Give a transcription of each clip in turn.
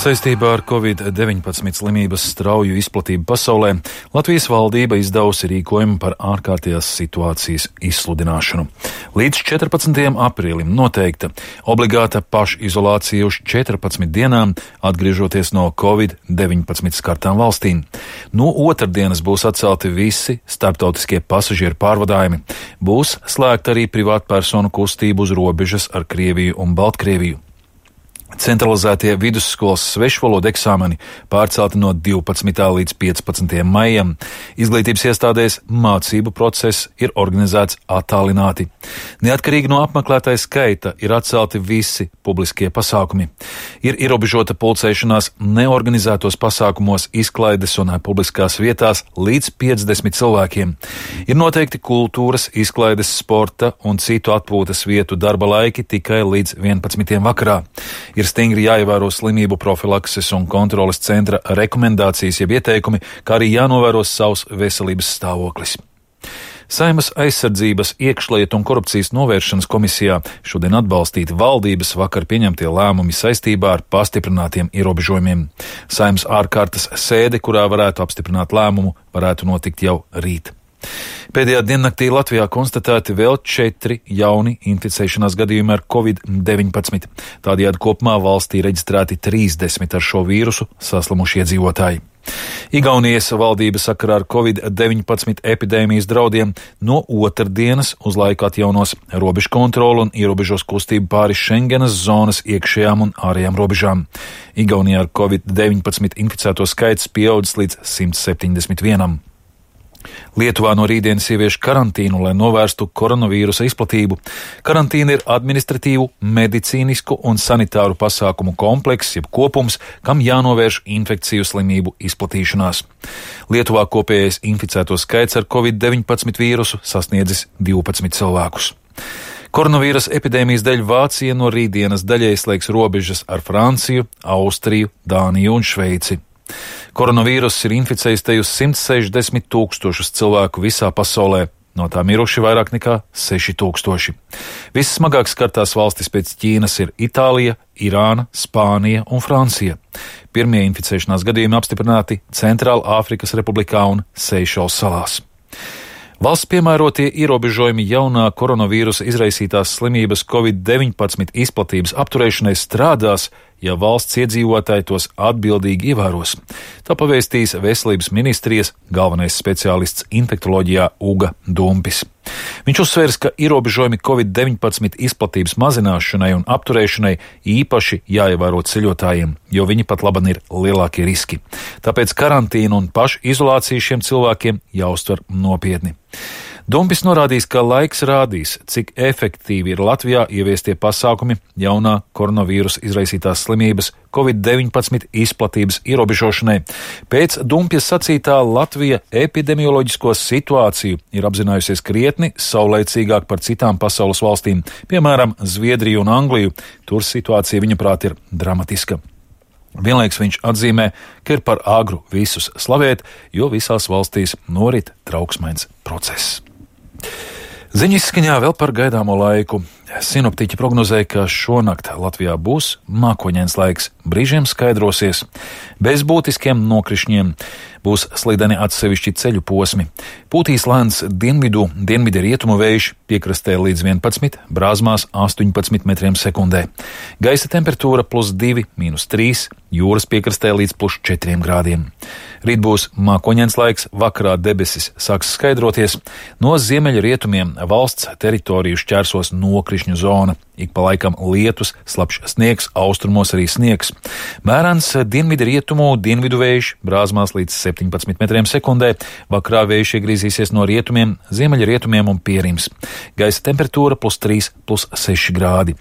Saistībā ar Covid-19 slimības strauju izplatību pasaulē Latvijas valdība izdevusi rīkojumu par ārkārtējās situācijas izsludināšanu. Līdz 14. aprīlim noteikta obligāta pašizolācija uz 14 dienām, atgriežoties no Covid-19 skartām valstīm. No otrdienas būs atcelti visi starptautiskie pasažieru pārvadājumi. Būs slēgta arī privātpersonu kustību uz robežas ar Krieviju un Baltkrieviju. Centralizētie vidusskolas svešvalodu eksāmeni pārcelti no 12. līdz 15. maijam. Izglītības iestādēs mācību process ir organizēts attālināti. Neatkarīgi no apmeklētāja skaita ir atcelti visi publiskie pasākumi. Ir ierobežota pulcēšanās neorganizētos pasākumos, izklaides un publiskās vietās līdz 50 cilvēkiem. Ir noteikti kultūras, izklaides, sporta un citu atpūtas vietu darba laiki tikai līdz 11. vakarā. Ir stingri jāievēro slimību profilakses un kontroles centra rekomendācijas jeb ieteikumi, kā arī jānovēro savs veselības stāvoklis. Saeimas aizsardzības, iekšlietu un korupcijas novēršanas komisijā šodien atbalstīti valdības vakar pieņemtie lēmumi saistībā ar pastiprinātiem ierobežojumiem. Saeimas ārkārtas sēde, kurā varētu apstiprināt lēmumu, varētu notikt jau rīt. Pēdējā diennaktī Latvijā konstatēti vēl 4 jauni inficēšanās gadījumi ar Covid-19. Tādējādi kopumā valstī reģistrēti 30 ar šo vīrusu saslimuši iedzīvotāji. Igaunijas valdība sakarā ar Covid-19 epidēmijas draudiem no otrdienas uz laiku atjaunos robežu kontrolu un ierobežos kustību pāri Schengenas zonas iekšējām un ārējām robežām. Igaunijā ar Covid-19 inficēto skaits pieaudzis līdz 171. Lietuvā no rītdienas ievieš karantīnu, lai novērstu koronavīrusa izplatību. Karantīna ir administratīvu, medicīnisku un sanitāru pasākumu komplekss, jeb kopums, kam jānovērš infekciju slimību izplatīšanās. Lietuvā kopējais inficēto skaits ar Covid-19 vīrusu sasniedzis 12 cilvēkus. Koronavīrusa epidēmijas dēļ Vācija no rītdienas daļai slēgs robežas ar Franciju, Austriju, Dāniju un Šveici. Koronavīruss ir inficējis te uz 160 000 cilvēku visā pasaulē, no tā miruši vairāk nekā 6000. Vissmagāk skartās valstis pēc Ķīnas ir Itālija, Irāna, Spānija un Francija. Pirmie inficēšanās gadījumi apstiprināti Centrāla Āfrikas Republikā un Seišelu salās. Valsts piemērotie ierobežojumi jaunā koronavīrusa izraisītās slimības Covid-19 izplatības apturēšanai strādās, ja valsts iedzīvotāji tos atbildīgi ievēros. Tā pavēstīs Veselības ministrijas galvenais speciālists infektoloģijā Uga Dumpis. Viņš uzsvērs, ka ierobežojumi Covid-19 izplatības mazināšanai un apturēšanai īpaši jāievēro ceļotājiem, jo viņi pat laban ir lielākie riski. Tāpēc karantīna un pašizolācija šiem cilvēkiem jāuztver nopietni. Dumpis norādījis, ka laiks rādīs, cik efektīvi ir Latvijā ieviestie pasākumi jaunā koronavīrusa izraisītās slimības Covid-19 izplatības ierobežošanai. Pēc Dumpjas sacītā Latvija epidemioloģisko situāciju ir apzinājusies krietni saulaicīgāk par citām pasaules valstīm, piemēram, Zviedriju un Angliju. Tur situācija, viņaprāt, ir dramatiska. Vienlaiks viņš atzīmē, ka ir par agru visus slavēt, jo visās valstīs norit trauksmains process. Ziņu izskaņā vēl par gaidāmo laiku. Sinoptiķi prognozēja, ka šonakt Latvijā būs mākoņains laiks, brīžiem skaidrosies, bez būtiskiem nokrišņiem, būs slideni atsevišķi ceļu posmi. Pūtīs lēns dienvidu rietumu vējš, piekrastē līdz 11, brāzmās 18 metriem sekundē. Gaisa temperatūra +2, -3, jūras piekrastē līdz +4 grādiem. Rīt būs mākoņains laiks, vakarā debesis sāks skaidroties, no ziemeļa rietumiem valsts teritoriju šķērsos nokrišņu zona. Ik pa laikam lietus, slapjš sniegs, austrumos arī sniegs. Mērens dienvidu rietumu dienvidu vējš, brāzmās līdz 17 metriem sekundē, vakarā vējš iegriezīsies no rietumiem, ziemeļa rietumiem un pierims. Gaisa temperatūra +3, +6 grādi.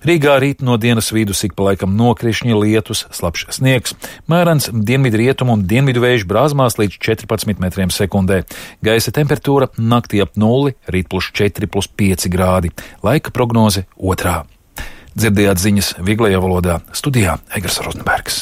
Rīgā rīt no dienas vidus ik pa laikam nokrišņi, lietus, slapjš sniegs. Mērens dienvidu rietumu un dienvidu vējš, brāzmās līdz 14 metriem sekundē. Gaisa temperatūra naktī ap 0, rīt +4, +5 grādi. Laika prognoze 2. Dzirdējāt ziņas vieglajā valodā, studijā Egars Rozenbergs.